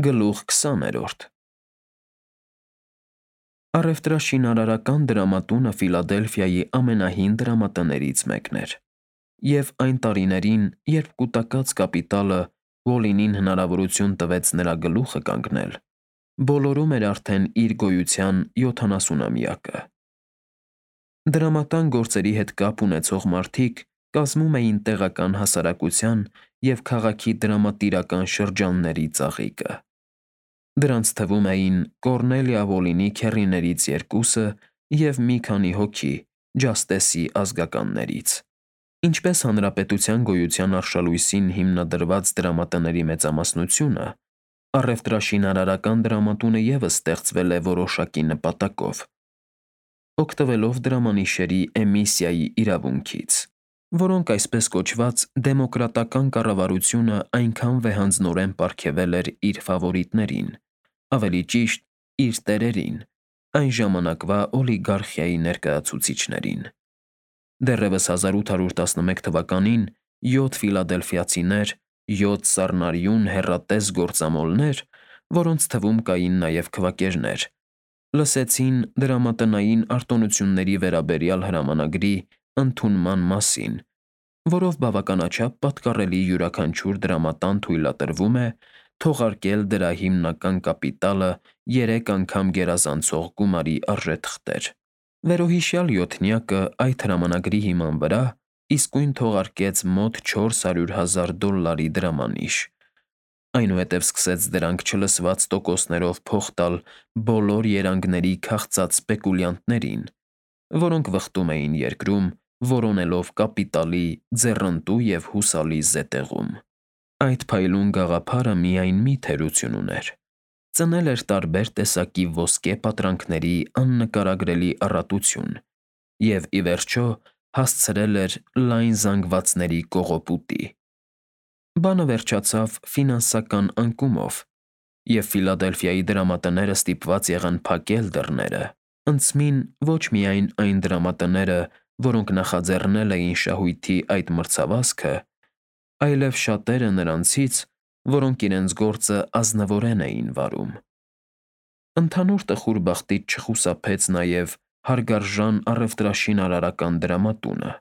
Գլուխ 20-րդ Առևտրաշինարարական դրամատունը Ֆիլադելֆիայի ամենահին դրամատներից մեկն էր, և այն տարիներին, երբ կուտակած կապիտալը Ուոլինին հնարավորություն տվեց նրա գլուխը կանգնել, բոլորում էր արդեն իր գոյության 70-ամյակը։ Դրամատան գործերի հետ կապ ունեցող մարդիկ կազմում էին տեղական հասարակության և քաղաքի դրամատիրական շրջանների ծաղիկը։ Դրանց թվում էին Կոռնելիա Ուոլինի քեռիներից երկուսը և մի քանի հոգի Ջաստեսի ազգականներից։ Ինչպես հանրապետության գոյության արշալույսին հիմնադրված դրամատների մեծամասնությունը, առևտրաշինարարական դրամատունը ևս ստեղծվել է որոշակի նպատակով՝ օգտվելով դրամանիշերի էմիսիայի իրավունքից, որոնք այսպես կոչված դեմոկրատական կառավարությունը այնքան վեհանձնորեն պարգևել էր իր ֆավորիտներին, ավելի ճիշտ՝ իր տերերին, այն ժամանակվա օլիգարխիայի ներկայացուցիչներին։ Դեռևս 1811 թվականին 7 ֆիլադելֆիացիներ, 7 սառնարյուն հեռատես գործամոլներ, որոնց թվում կային նաև քվակերներ, լսեցին դրամատնային արտոնությունների վերաբերյալ հրամանագրի ընդունման մասին, որով բավականաչափ պատկառելի յուրաքանչյուր դրամատան թույլատրվում է թողարկել դրա հիմնական կապիտալը 3 անգամ գերազանցող գումարի արժեթղթեր։ Վերոհիշյալ յոթնյակը այդ հրամանագրի հիման վրա իսկույն թողարկեց մոտ $400,000 դրամանիշ, այնուհետև սկսեց դրանք չլսված տոկոսներով փող տալ բոլոր երանգների քաղցած սպեկուլյանտներին, որոնք վխտում էին երկրում՝ որոնելով կապիտալի ձեռնտու և հուսալի զետեղում։ Այդ փայլուն գաղափարը միայն մի թերություն ուներ՝ ծնել էր տարբեր տեսակի ոսկե պատրանքների աննկարագրելի առատություն և, ի վերջո, հասցրել էր լայն զանգվածների կողոպուտի։ Բանը վերջացավ ֆինանսական անկումով, և Ֆիլադելֆիայի դրամատները ստիպված եղան փակել դռները, ընդցմին ոչ միայն այն դրամատները, որոնք նախաձեռնել էին շահույթի այդ մրցավազքը, այլև շատերը նրանցից, որոնք իրենց գործը ազնվորեն էին վարում։ Ընդհանուր տխուր բախտից չխուսափեց նաև հարգարժան առևտրաշինարարական դրամատունը։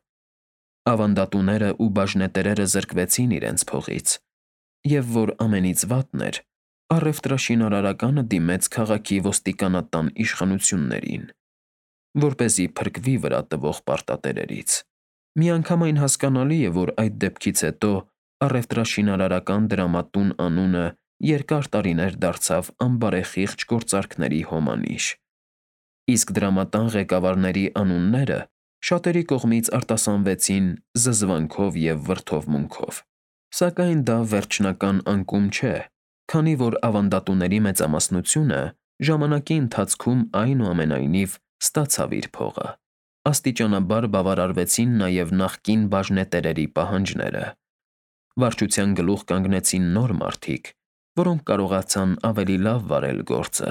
Ավանդատուներն ու բաժնետերերը զրկվեցին իրենց փողից, և որ ամենից վատն էր, առևտրաշինարարականը դիմեց քաղաքի ոստիկանատան իշխանություններին, որպեսզի փրկվի վրա տվող պարտատերերից։ Միանգամայն հասկանալի է, որ այդ դեպքից հետո առևտրաշինարարական դրամատուն անունը երկար տարիներ դարձավ անբարեխիղճ գործարքների հոմանիշ, իսկ դրամատան ղեկավարների անունները շատերի կողմից արտասանվեցին զզվանքով և վրդովմունքով։ Սակայն դա վերջնական անկում չէ, քանի որ ավանդատուների մեծամասնությունը ժամանակի ընթացքում այնուամենայնիվ ստացավ իր փողը։ Աստիճանաբար բավարարվեցին նաև նախկին բաժնետերերի պահանջները։ Վարչության գլուխ կանգնեցին նոր մարդիկ, որոնք կարողացան ավելի լավ վարել գործը,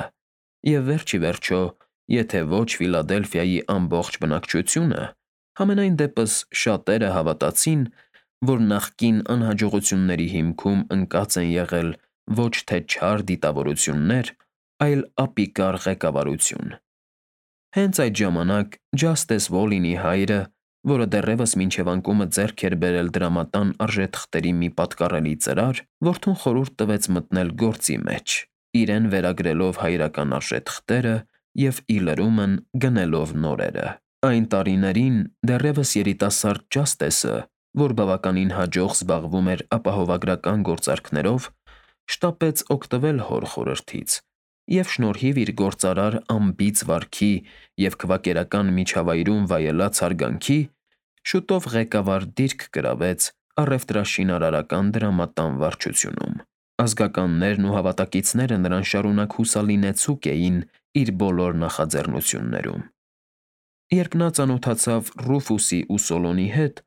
և վերջ ի վերջո, եթե ոչ Ֆիլադելֆիայի ամբողջ բնակչությունը, համենայն դեպս շատերը հավատացին, որ նախկին անհաջողությունների հիմքում ընկած են եղել ոչ թե չար դիտավորություններ, այլ ապիկար ղեկավարություն։ Հենց այդ ժամանակ Ջաստես Ուոլինի հայրը, որը դեռևս մինչև անկումը ձեռք էր բերել դրամատան արժեթղթերի մի պատկառելի ծրար, որդուն խորհուրդ տվեց մտնել գործի մեջ, իրեն վերագրելով հայրական արժեթղթերը և ի լրումն գնելով նորերը։ Այն տարիներին դեռևս երիտասարդ Ջաստեսը, որ բավականին հաջող զբաղվում էր ապահովագրական գործարքներով, շտապեց օգտվել հոր խորհրդից և շնորհիվ իր գործարար անբիծ վարքի և քվակերական միջավայրում վայելած հարգանքի, շուտով ղեկավար դիրք գրավեց առևտրաշինարարական դրամատան վարչությունում։ Ազգականներն ու հավատակիցները նրան շարունակ հուսալինեցուկ էին իր բոլոր նախաձեռնություններում։ Երբ նա ծանոթացավ Ռուֆուսի ու Սոլոնի հետ,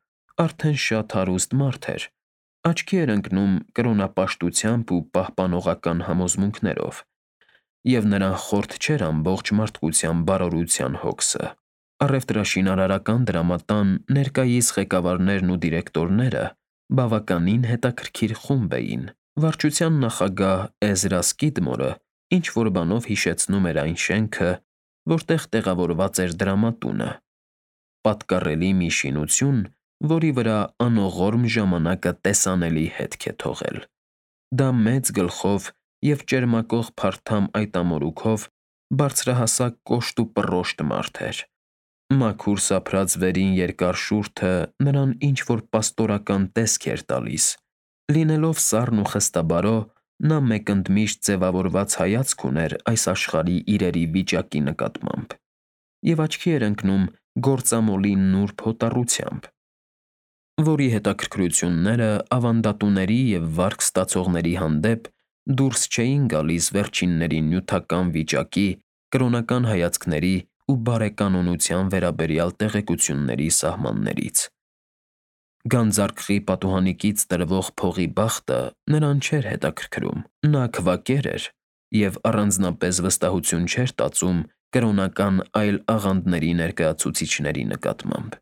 արդեն շատ հարուստ մարդ էր, աչքի էր ընկնում կրոնապաշտությամբ ու պահպանողական համոզմունքներով, և նրան խորթ չէր ամբողջ մարդկության բարօրության հոգսը։ Առևտրաշինարարական դրամատան ներկայիս ղեկավարներն ու դիրեկտորները բավականին հետաքրքիր խումբ էին, Վարչության նախագահ Էզրա Սկիդմորը ինչ-որ բանով հիշեցնում էր այն շենքը, որտեղ տեղավորված էր դրամատունը, պատկառելի մի շինություն, որի վրա անողորմ ժամանակը տեսանելի հետք է թողել։ Դա մեծ գլխով և ճերմակող փարթամ այտամորուքով բարձրահասակ կոշտ ու պռոշտ մարդ էր։ Մաքուր սափրած վերին երկար շուրթը նրան ինչ-որ պաստորական տեսք էր տալիս։ Լինելով սառն ու խստաբարո, նա մեկընդմիշտ ձևավորված հայացք ուներ այս աշխարհի իրերի վիճակի նկատմամբ և աչքի էր ընկնում գործամոլի նուրբ հոտառությամբ, որի հետաքրքրությունները ավանդատուների և վարկ ստացողների հանդեպ դուրս չէին գալիս վերջինների նյութական վիճակի, կրոնական հայացքների ու բարեկանոնության վերաբերյալ տեղեկությունների սահմաններից։ Գանձարկղի պատուհանիկից տրվող փողի բախտը նրան չէր հետաքրքրում։ Նա քվակեր էր և առանձնապես վստահություն չէր տածում կրոնական այլ աղանդների ներկայացուցիչների նկատմամբ։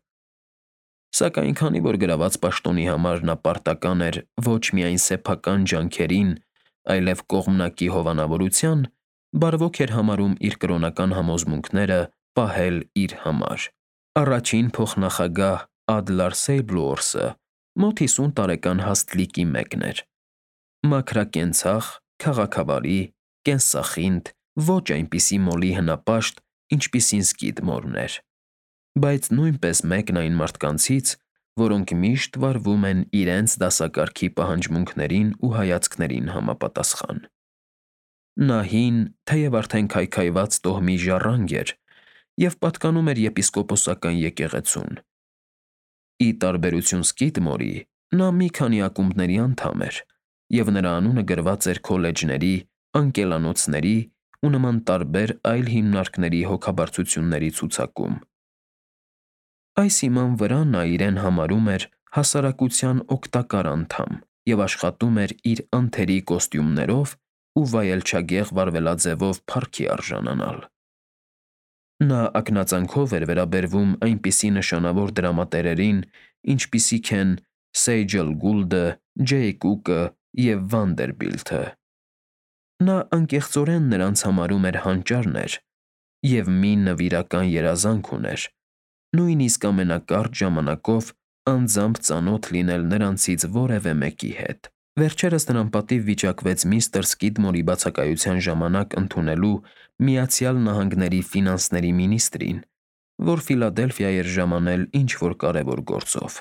Սակայն քանի որ գրաված պաշտոնի համար նա պարտական էր ոչ միայն սեփական ջանքերին, այլև կողմնակի հովանավորության, բարվոք էր համարում իր կրոնական համոզմունքները պահել իր համար։ Առաջին փոխնախագահ Ադլար Սեյբլուորսը մոտ 50 տարեկան հաստ լիկի մեկն էր։ Մաքրակենցաղ, քաղաքավարի, կենսախինդ, ոչ այնպիսի մոլի հնապաշտ, ինչպիսին Սկիդմորն էր, բայց նույնպես մեկն այն մարդկանցից, որոնք միշտ վարվում են իրենց դասակարգի պահանջմունքներին ու հայացքներին համապատասխան։ Նա հին, թեև արդեն քայքայված տոհմի ժառանգ էր և պատկանում էր եպիսկոպոսական եկեղեցուն։ Ի տարբերություն Սկիդմորի, նա մի քանի ակումբների անդամ էր, և նրա անունը գրված էր քոլեջների, անկելանոցների ու նման տարբեր այլ հիմնարկների հոգաբարձությունների ցուցակում։ Այս հիման վրա նա իրեն համարում էր հասարակության օգտակար անդամ և աշխատում էր իր անթերի կոստյումներով ու վայելչագեղ վարվելաձևով փառքի արժանանալ։ Նա ակնածանքով էր վերաբերվում այնպիսի նշանավոր դրամատերերին, ինչպիսիք են Սեյջլ Գուլդը, Ջեյ Կուկը և Վանդերբիլթը։ Նա անկեղծորեն նրանց համարում էր հանճարներ և մի նվիրական երազանք ուներ, նույնիսկ ամենակարճ ժամանակով անձամբ ծանոթ լինել նրանցից որևէ մեկի հետ։ Վերջերս նրան պատիվ վիճակվեց միստր Սկիդմորի բացակայության ժամանակ ընդունելու Միացյալ Նահանգների ֆինանսների մինիստրին, որ Ֆիլադելֆիա էր ժամանել ինչ-որ կարևոր գործով։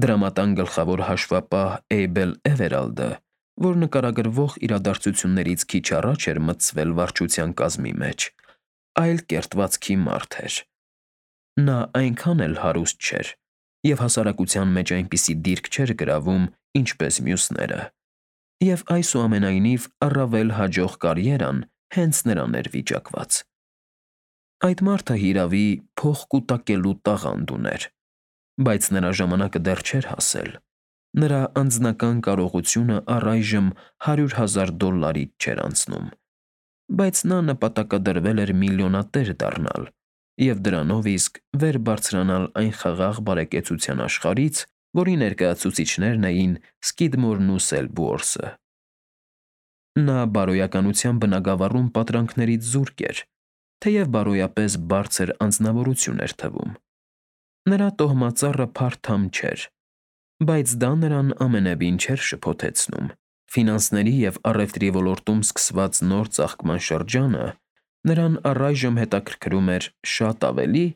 Դրամատան գլխավոր հաշվապահ Էյբել Էվերալդը, որ նկարագրվող իրադարձություններից քիչ առաջ էր մտցվել վարչության կազմի մեջ, այլ կերտվածքի մարդ էր։ Նա այնքան էլ հարուստ չէր և հասարակության մեջ այնպիսի դիրք չէր գրավում, ինչպես մյուսները, և այսուամենայնիվ առավել հաջող կարիերան հենց նրան էր վիճակված։ Այդ մարդը, հիրավի, փող կուտակելու տաղանդ ուներ, բայց նրա ժամանակը դեռ չէր հասել։ Նրա անձնական կարողությունը առայժմ $100,000-ից չէր անցնում, բայց նա նպատակադրվել էր միլիոնատեր դառնալ և դրանով իսկ վեր բարձրանալ այն խաղաղ բարեկեցության աշխարհից, որի ներկայացուցիչներն էին Սկիդմորն ու Սելբուորսը։ Նա բարոյականության բնագավառում պատրանքներից զուրկ էր, թեև բարոյապես բարձր անձնավորություն էր թվում։ Նրա տոհմածառը փարթամ չէր, բայց դա նրան ամենևին չէր շփոթեցնում։ Ֆինանսների և առևտրի ոլորտում սկսված նոր ծաղկման շրջանը նրան առայժմ հետաքրքրում էր շատ ավելի,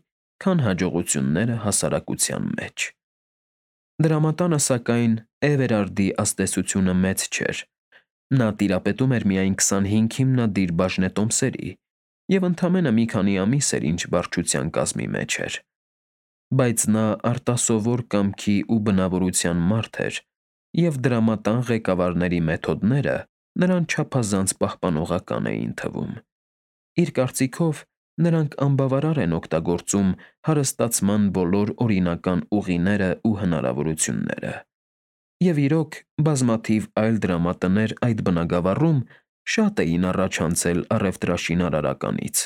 քան հաջողությունները հասարակության մեջ։ Դրամատանը, սակայն, Էվերարդի ազդեցությունը մեծ չէր։ Նա տիրապետում էր միայն 25 հիմնադիր բաժնետոմսերի և ընդամենը մի քանի ամիս էր, ինչ վարչության կազմի մեջ էր։ Բայց նա արտասովոր կամքի ու բնավորության մարդ էր, և դրամատան ղեկավարների մեթոդները նրան չափազանց պահպանողական էին թվում։ Իր կարծիքով, նրանք անբավարար են օգտագործում հարստացման բոլոր օրինական ուղիները ու հնարավորությունները։ Եվ իրոք, բազմաթիվ այլ դրամատներ այդ բնագավառում շատ էին առաջ անցել առևտրաշինարարականից,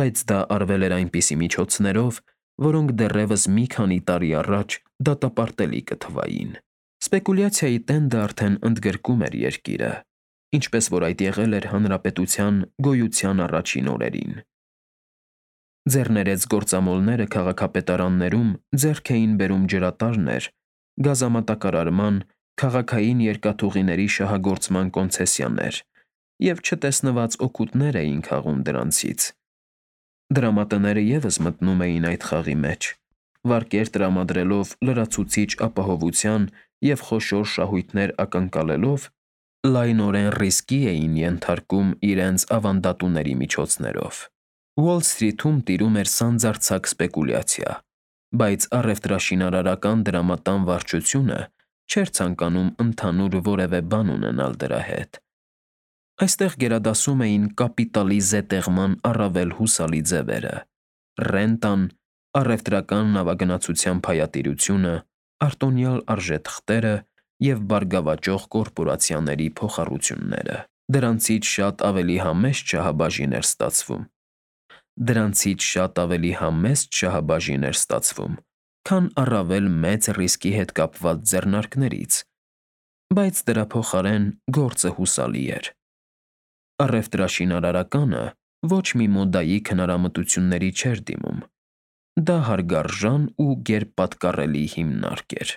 բայց դա արվել էր այնպիսի միջոցներով, որոնք դեռևս մի քանի տարի առաջ դատապարտելի կթվային։ Սպեկուլյացիայի տենդը արդեն ընդգրկում էր երկիրը, ինչպես որ այդ եղել էր հանրապետության գոյության առաջին օրերին։ Ձեռներեց գործամոլները քաղաքապետարաններում ձեռք էին բերում ջրատարներ, գազամատակարարման, քաղաքային երկաթուղիների շահագործման կոնցեսիաներ և չտեսնված օգուտներ էին քաղում դրանցից։ Դրամատները ևս մտնում էին այդ խաղի մեջ, վարկեր տրամադրելով լրացուցիչ ապահովության և խոշոր շահույթներ ակնկալելով, լայնորեն ռիսկի էին ենթարկում իրենց ավանդատուների միջոցներով։ Ուոլ Սթրիթում տիրում էր սանձարձակ սպեկուլյացիա, բայց առևտրաշինարարական դրամատան վարչությունը չէր ցանկանում ընդհանուր որևէ բան ունենալ դրա հետ։ Այստեղ գերադասում էին կապիտալի զետեղման առավել հուսալի ձևերը՝ ռենտան, առևտրական նավագնացության փայատիրությունը, արտոնյալ արժեթղթերը և բարգավաճող կորպորացիաների փոխառությունները։ Դրանցից շատ ավելի համեստ շահաբաժին էր ստացվում, քան առավել մեծ ռիսկի հետ կապված ձեռնարկներից, բայց դրա փոխարեն գործը հուսալի էր։ Առևտրաշինարարականը ոչ մի մոդայիկ հնարամտությունների չէր դիմում։ Դա հարգարժան ու գերպատկառելի հիմնարկ էր։